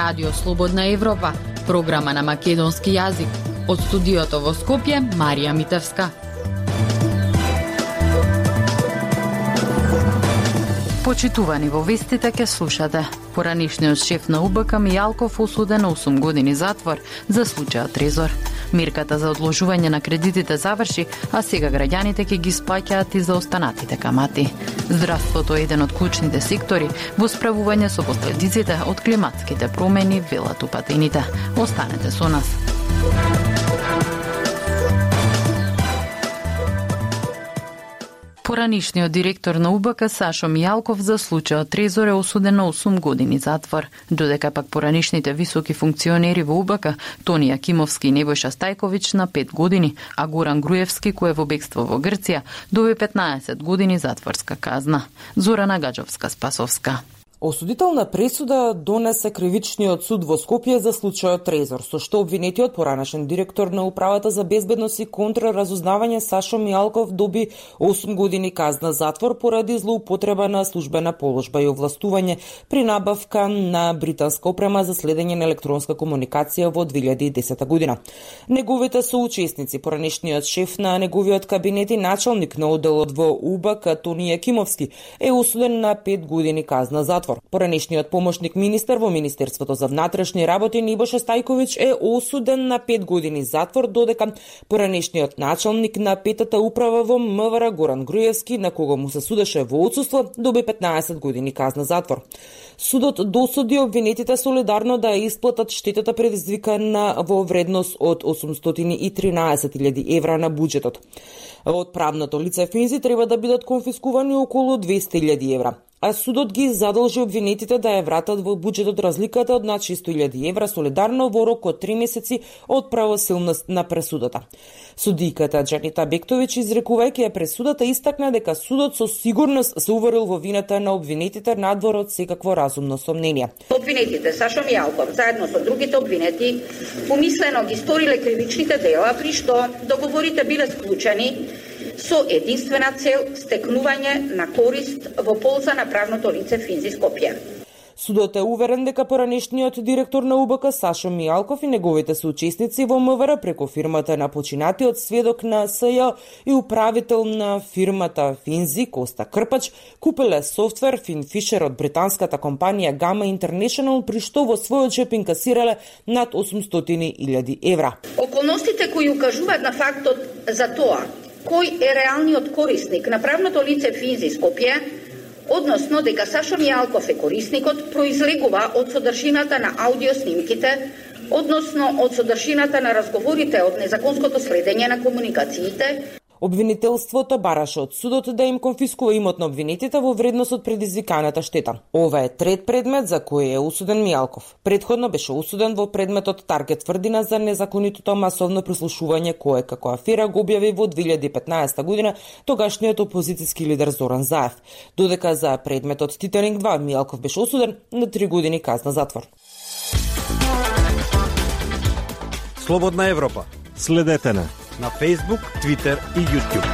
Радио Слободна Европа, програма на македонски јазик. Од студиото во Скопје, Марија Митевска. Почитувани, во вестите ке слушате. Поранишниот шеф на УБК Мијалков осуден на 8 години затвор за случајот Трезор. Мирката за одложување на кредитите заврши, а сега граѓаните ќе ги исплаќаат и за останатите камати. Здравството е еден од клучните сектори во справување со последиците од климатските промени, велат упатените. Останете со нас. Поранишниот директор на УБК Сашо Мијалков за случајот Трезор е осуден на 8 години затвор, додека пак поранишните високи функционери во УБК Тони Јакимовски и Небојша Стајковиќ на 5 години, а Горан Груевски, кој е во бегство во Грција, доби 15 години затворска казна. Зорана Гаджовска-Спасовска. Осудителна пресуда донесе кривичниот суд во Скопје за случајот Трезор, со што обвинетиот поранешен директор на Управата за безбедност и контраразузнавање Сашо Мијалков доби 8 години казна затвор поради злоупотреба на службена положба и овластување при набавка на британска опрема за следење на електронска комуникација во 2010 година. Неговите соучесници, поранешниот шеф на неговиот кабинет и началник на оделот во УБК Тони Јакимовски, е осуден на 5 години казна затвор. Поранешниот помошник министер во Министерството за внатрешни работи Небојша Стајковиќ е осуден на 5 години затвор, додека поранешниот началник на петата управа во МВР Горан Груевски, на кого му се судеше во отсуство, доби 15 години казна затвор. Судот досуди обвинетите солидарно да ја исплатат штетата предизвикана во вредност од 813.000 евра на буџетот. Од правното лице Финзи треба да бидат конфискувани околу 200.000 евра. А судот ги задолжи обвинетите да ја вратат во буџетот разликата од над 600.000 евра солидарно во рок од 3 месеци од правосилност на пресудата. Судиката Джанита Бектовиќ, изрекувајќи ја пресудата, истакна дека судот со сигурност се уверил во вината на обвинетите надвор од секакво разумно сомнение. Обвинетите Сашо Мијалков заедно со другите обвинети умислено ги сториле кривичните дела, при што договорите биле склучени со единствена цел стекнување на корист во полза на правното лице Финзи Скопје. Судот е уверен дека поранешниот директор на УБК Сашо Мијалков и неговите соучесници во МВР преку фирмата на починатиот сведок на СЈ и управител на фирмата Финзи Коста Крпач купеле софтвер FinFisher од британската компанија Gamma International, при што во својот джеп инкасирале над 800.000 евра. Околностите кои укажуваат на фактот за тоа кој е реалниот корисник на правното лице Финзи Скопје, односно дека Сашо Мијалков е корисникот, произлегува од содржината на аудиоснимките, односно од содржината на разговорите од незаконското следење на комуникациите. Обвинителството бараше од судот да им конфискува имот на обвинетите во вредност од предизвиканата штета. Ова е трет предмет за кој е осуден Мијалков. Предходно беше осуден во предметот Таргет тврдина за незаконитото масовно прислушување кое како афера го објави во 2015 година тогашниот опозицијски лидер Зоран Заев. Додека за предметот Титаник 2 Мијалков беше осуден на 3 години казна затвор. Слободна Европа. Следете на Facebook, Twitter и YouTube.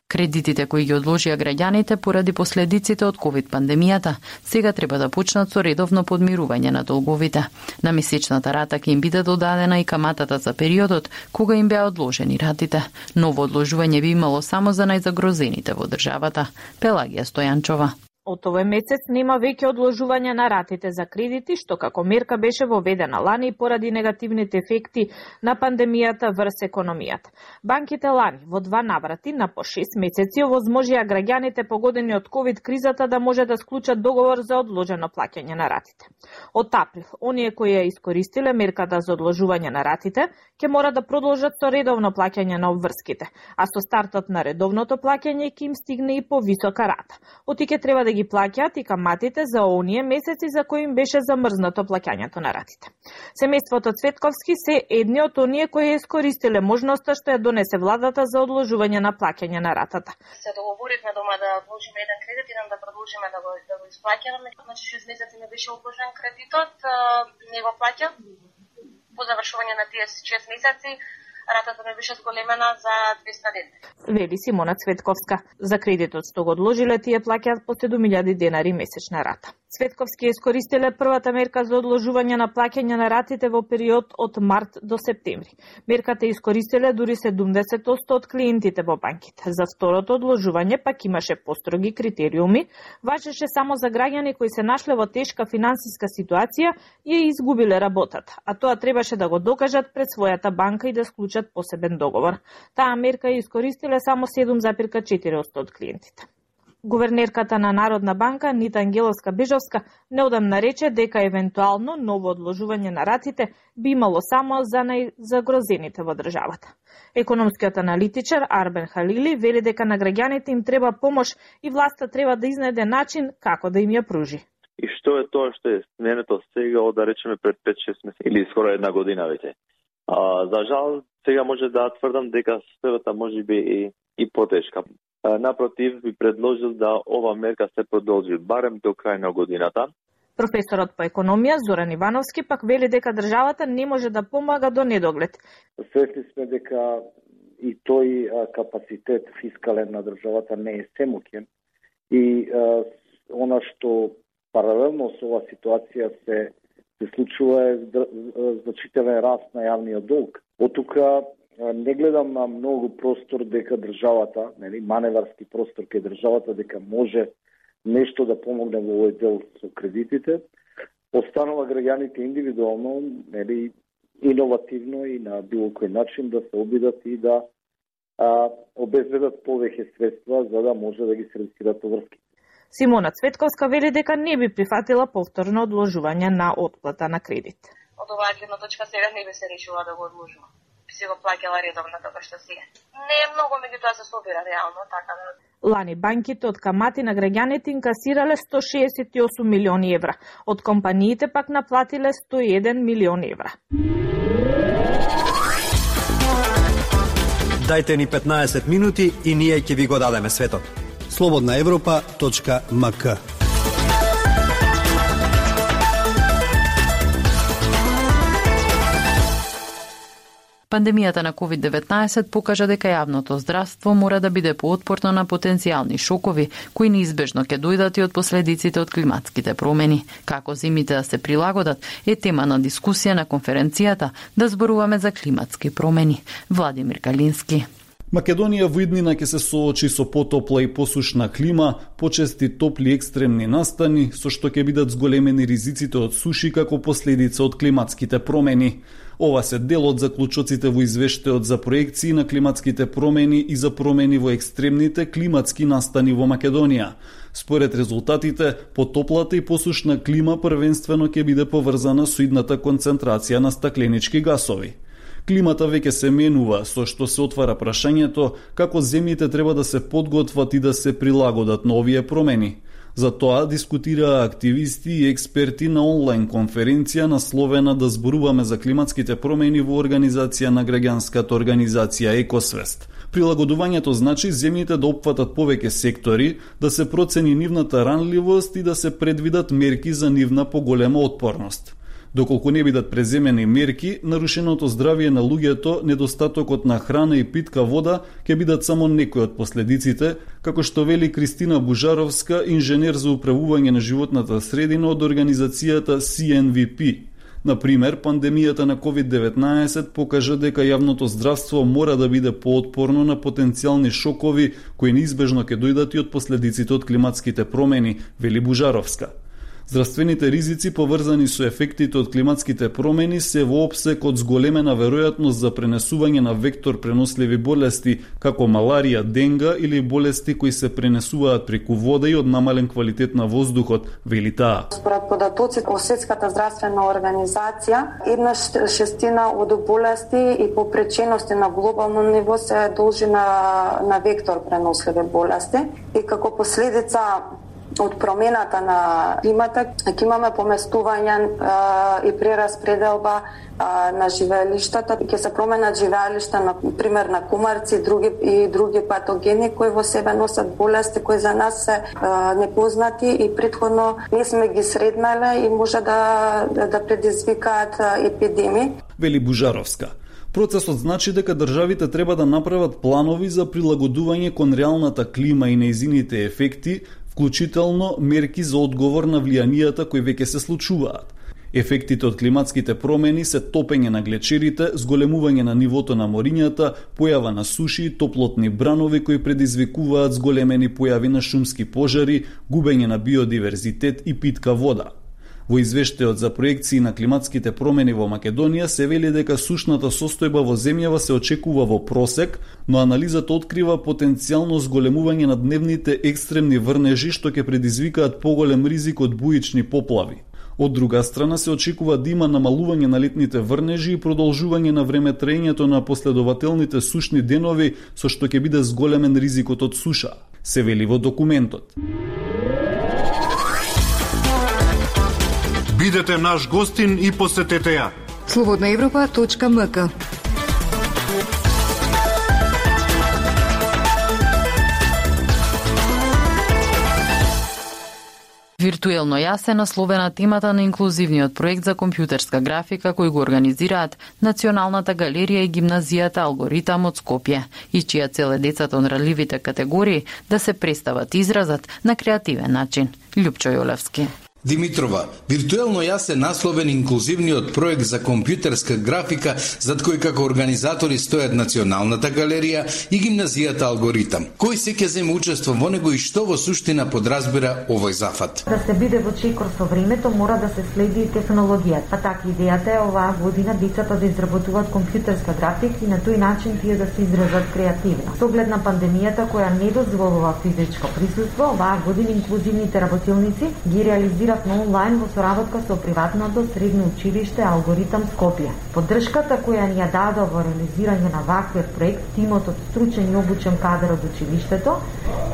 Кредитите кои ги одложија граѓаните поради последиците од ковид пандемијата сега треба да почнат со редовно подмирување на долговите. На месечната рата ќе им биде додадена и каматата за периодот кога им беа одложени ратите. Ново одложување би имало само за најзагрозените во државата. Пелагија Стојанчова. Од овој месец нема веќе одложување на ратите за кредити, што како мерка беше воведена лани поради негативните ефекти на пандемијата врз економијата. Банките лани во 2 наврати на по 6 месеци овозможија граѓаните погодени од ковид кризата да може да склучат договор за одложено плаќање на ратите. Од април, оние кои ја искористиле мерката за одложување на ратите, ќе мора да продолжат со редовно плаќање на обврските, а со стартот на редовното плаќање ќе им стигне и повисока рата. Отиќе треба да ги плаќаат и каматите за оние месеци за кои им беше замрзнато плаќањето на ратите. Семејството Цветковски се едни од оние кои искористиле можноста што ја донесе владата за одложување на плаќање на ратата. Се договоривме дома да одложиме еден кредит и да продолжиме да го исплаќаме. Значи 6 месеци не беше одложен кредитот, не го плаќа. По завршување на тие 6 месеци ратата не беше зголемена за 200 денари. Вели Симона Цветковска. За кредитот што го одложиле, тие плаќаат по 7.000 денари месечна рата. Цветковски искористиле првата мерка за одложување на плаќање на ратите во период од март до септември. Мерката искористиле дури 70% од клиентите во банките. За второто одложување пак имаше построги критериуми, важеше само за граѓани кои се нашле во тешка финансиска ситуација и ја изгубиле работата, а тоа требаше да го докажат пред својата банка и да склучат посебен договор. Таа мерка ја искористиле само 7,4% од клиентите. Гувернерката на Народна банка Нита Ангеловска-Бежовска неодамна рече дека евентуално ново одложување на ратите би имало само за најзагрозените во државата. Економскиот аналитичар Арбен Халили вели дека на граѓаните им треба помош и власта треба да изнајде начин како да им ја пружи. И што е тоа што е сменето сега од, да речеме, пред 5-6 месеци или скоро една година веќе? За жал, сега може да тврдам дека ситуацијата може би и потешка. Напротив, би предложил да ова мерка се продолжи барем до крај на годината. Професорот по економија Зоран Ивановски пак вели дека државата не може да помага до недоглед. Свесни сме дека и тој капацитет фискален на државата не е семоќен и она што паралелно со оваа ситуација се случува е значителен раст на јавниот долг. Од тука не гледам на многу простор дека државата, маневарски простор кај државата дека може нешто да помогне во овој дел со кредитите. Останува граѓаните индивидуално, иновативно и на било кој начин да се обидат и да обезбедат повеќе средства за да може да ги сервисират врски. Симона Цветковска вели дека не би прифатила повторно одложување на отплата на кредит. Од оваа гледна точка сега не би се решила да го одложува. Би се го плаќала редовно така што си е. Не е многу, меѓутоа се собира реално, така да. Лани банките од камати на граѓаните инкасирале 168 милиони евра, од компаниите пак наплатиле 101 милион евра. Дајте ни 15 минути и ние ќе ви го дадеме светот. slobodnaevropa.mk. Пандемијата на COVID-19 покажа дека јавното здравство мора да биде поотпорно на потенцијални шокови, кои неизбежно ќе дојдат и од последиците од климатските промени. Како зимите да се прилагодат е тема на дискусија на конференцијата да зборуваме за климатски промени. Владимир Калински. Македонија во иднина ќе се соочи со потопла и посушна клима, почести топли екстремни настани, со што ќе бидат зголемени ризиците од суши како последица од климатските промени. Ова се дел од заклучоците во извештајот за проекции на климатските промени и за промени во екстремните климатски настани во Македонија. Според резултатите, потоплата и посушна клима првенствено ќе биде поврзана со идната концентрација на стакленички гасови. Климата веќе се менува, со што се отвара прашањето како земјите треба да се подготват и да се прилагодат на овие промени. За тоа дискутираа активисти и експерти на онлайн конференција насловена да зборуваме за климатските промени во организација на граѓанската организација Екосвест. Прилагодувањето значи земјите да опфатат повеќе сектори, да се процени нивната ранливост и да се предвидат мерки за нивна поголема отпорност. Доколку не бидат преземени мерки, нарушеното здравје на луѓето, недостатокот на храна и питка вода ќе бидат само некои од последиците, како што вели Кристина Бужаровска, инженер за управување на животната средина од организацијата CNVP. Например, пандемијата на COVID-19 покажа дека јавното здравство мора да биде поотпорно на потенцијални шокови кои неизбежно ќе дојдат и од последиците од климатските промени, вели Бужаровска. Здравствените ризици поврзани со ефектите од климатските промени се во опсек од зголемена веројатност за пренесување на вектор преносливи болести, како маларија, денга или болести кои се пренесуваат преку вода и од намален квалитет на воздухот, вели таа. Според податоците од Светската здравствена организација, 1/6 од болести и попречености на глобално ниво се должи на вектор преносливи болести и како последица од промената на климата ќе имаме поместување и прераспределба на живеелиштата, ќе се променат живеелишта на пример на кумарци и други патогени кои во себе носат болести кои за нас се непознати и претходно не сме ги сретнале и може да предизвикаат епидемии. Вели Бужаровска. Процесот значи дека државите треба да направат планови за прилагодување кон реалната клима и нејзините ефекти, вклучително мерки за одговор на влијанијата кои веќе се случуваат. Ефектите од климатските промени се топење на глечерите, зголемување на нивото на морињата, појава на суши, топлотни бранови кои предизвикуваат зголемени појави на шумски пожари, губење на биодиверзитет и питка вода. Во извештајот за проекции на климатските промени во Македонија се вели дека сушната состојба во земјава се очекува во просек, но анализата открива потенцијално зголемување на дневните екстремни врнежи што ќе предизвикаат поголем ризик од буични поплави. Од друга страна се очекува да има намалување на летните врнежи и продолжување на времетраењето на последователните сушни денови, со што ќе биде зголемен ризикот од суша, се вели во документот. Бидете наш гостин и посетете ја. slobodnaevropa.mk. Виртуелно јас е насловена темата на инклузивниот проект за компјутерска графика кој го организираат Националната галерија и гимназијата Алгоритам од Скопје, и чија цел е децата од ранливите категории да се представат изразат на креативен начин. Љупчо Јолевски. Димитрова, виртуелно јас е насловен инклузивниот проект за компјутерска графика, зад кој како организатори стојат Националната галерија и гимназијата Алгоритам. Кој се ќе зема учество во него и што во суштина подразбира овој зафат? Да се биде во чекор со времето, мора да се следи и технологијата. Па така идејата е оваа година децата да изработуваат компјутерска графика и на тој начин тие да се изразат креативно. Со оглед на пандемијата која не дозволува физичко присуство, оваа година инклузивните работилници ги реализираат на онлайн во соработка со приватното средно училиште Алгоритам Скопје. Поддршката која ни ја даде во реализирање на ваквиот проект тимот од стручен и обучен кадар од училиштето,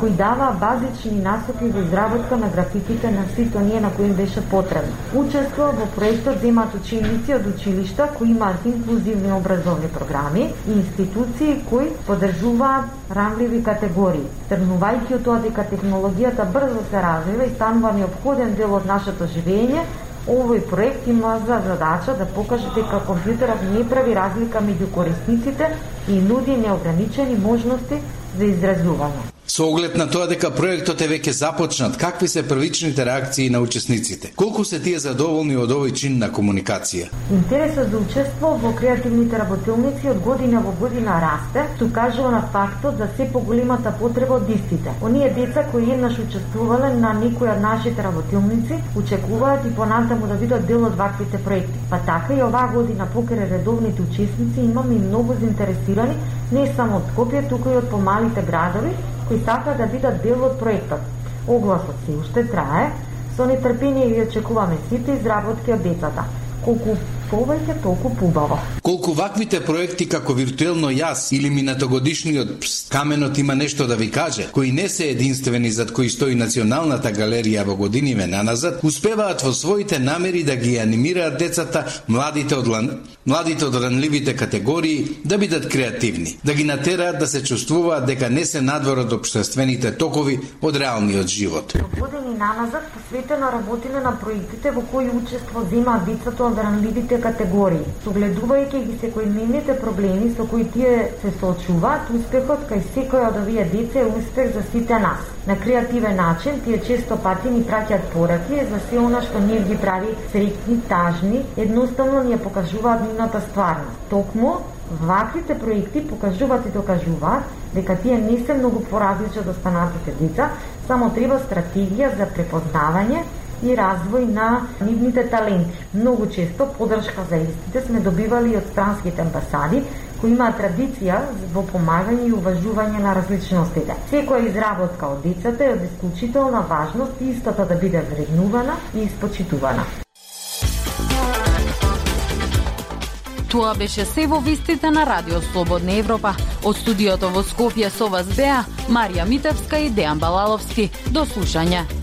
кој дава базични насоки за изработка на графиките на сите оние на кои им беше потребно. Учество во проектот земаат ученици од училишта кои имаат инклузивни образовни програми и институции кои поддржуваат ранливи категории. Тргнувајќи од тоа дека технологијата брзо се развива и станува неопходен дел од нашето живење, овој проект има за задача да покаже дека компјутерот не прави разлика меѓу корисниците и нуди неограничени можности за изразување. Со оглед на тоа дека проектот е веќе започнат, какви се првичните реакции на учесниците? Колку се тие задоволни од овој чин на комуникација? Интересот за учество во креативните работилници од година во година расте, што кажува на фактот за се поголемата потреба од истите. Оние деца кои еднаш учествувале на некој од нашите работилници, очекуваат и понатаму да бидат дел од ваквите проекти. Па така и оваа година покрај редовните учесници имаме и многу заинтересирани не само од Скопје, туку и од помалите градови, кои сака да бидат дел од проектот. Огласот се уште трае, со нетрпение ги очекуваме сите изработки од децата. Колку повеќе, толку побаво. Колку ваквите проекти како виртуелно јас или минатогодишниот Каменот има нешто да ви каже, кои не се единствени зад кои стои Националната галерија во годиниве наназад, успеваат во своите намери да ги анимираат децата, младите од ранливите категории да бидат креативни, да ги натераат да се чувствуваат дека не се надвор од општествените токови од реалниот живот. Години наназад посветено работиме на проектите во кои учество земаат децата од ранливите категории. Согледувајќи ги секојдневните проблеми со кои тие се соочуваат, успехот кај секој од овие деца е успех за сите нас. На креативен начин тие често пати ни праќаат пораки за се она што ние ги прави среќни, тажни, едноставно ни ја покажуваат нивната стварност. Токму ваквите проекти покажуваат и докажуваат дека тие не се многу поразлични од останатите деца, само треба стратегија за препознавање и развој на нивните таленти. Многу често поддршка за истите сме добивали од странските амбасади, кои имаат традиција во помагање и уважување на различностите. Секоја изработка од децата е од исклучителна важност и истата да биде вреднувана и испочитувана. Тоа беше се во вестите на Радио Слободна Европа. Од студиото во Скопје со вас беа Марија Митевска и Дејан Балаловски. До слушање.